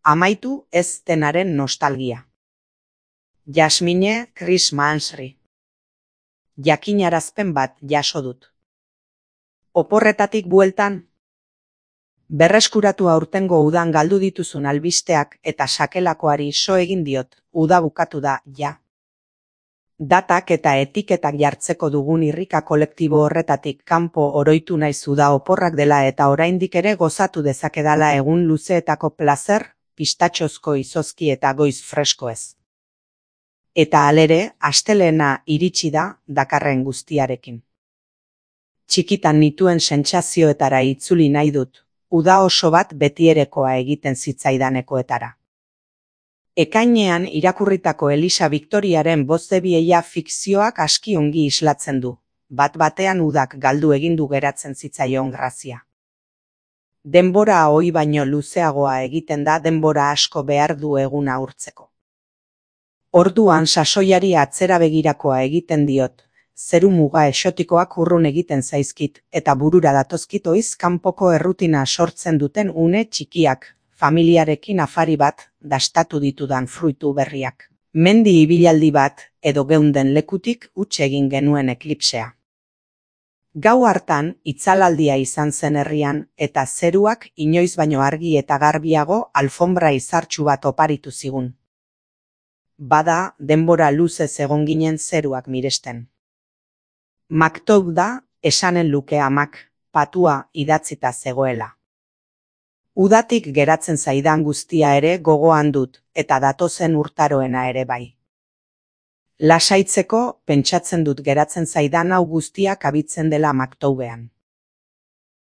Amaitu ez denaren nostalgia. Jasmine Chris Mansry. Jakinarazpen bat jaso dut. Oporretatik bueltan? Berreskuratu aurtengo udan galdu dituzun albisteak eta sakelakoari so egin diot, uda bukatu da, ja. Datak eta etiketak jartzeko dugun irrika kolektibo horretatik kanpo oroitu naiz uda oporrak dela eta oraindik ere gozatu dezakedala egun luzeetako plazer, pistatxozko izozki eta goiz freskoez. Eta halere, astelehena iritsi da dakarren guztiarekin. Txikitan nituen sentsazioetara itzuli nahi dut, uda oso bat betierekoa egiten zitzaidanekoetara. Ekainean irakurritako Elisa Victoriaren bozebieia fikzioak aski ongi islatzen du, bat-batean udak galdu egindu geratzen zitzaion grazia. Denbora ohi baino luzeagoa egiten da denbora asko behar du eguna urtzeko. Orduan sasoiari atzera begirakoa egiten diot, zeru muga exotikoak urrun egiten zaizkit eta burura datozkit oiz kanpoko errutina sortzen duten une txikiak, familiarekin afari bat, dastatu ditudan fruitu berriak. Mendi ibilaldi bat, edo geunden lekutik huts egin genuen eklipsea. Gau hartan, itzalaldia izan zen herrian, eta zeruak inoiz baino argi eta garbiago alfombra izartsu bat oparitu zigun. Bada, denbora luzez egon ginen zeruak miresten. Maktou da, esanen luke amak, patua idatzita zegoela. Udatik geratzen zaidan guztia ere gogoan dut, eta datozen urtaroena ere bai. Lasaitzeko, pentsatzen dut geratzen zaidan hau guztia kabitzen dela Maktoubean.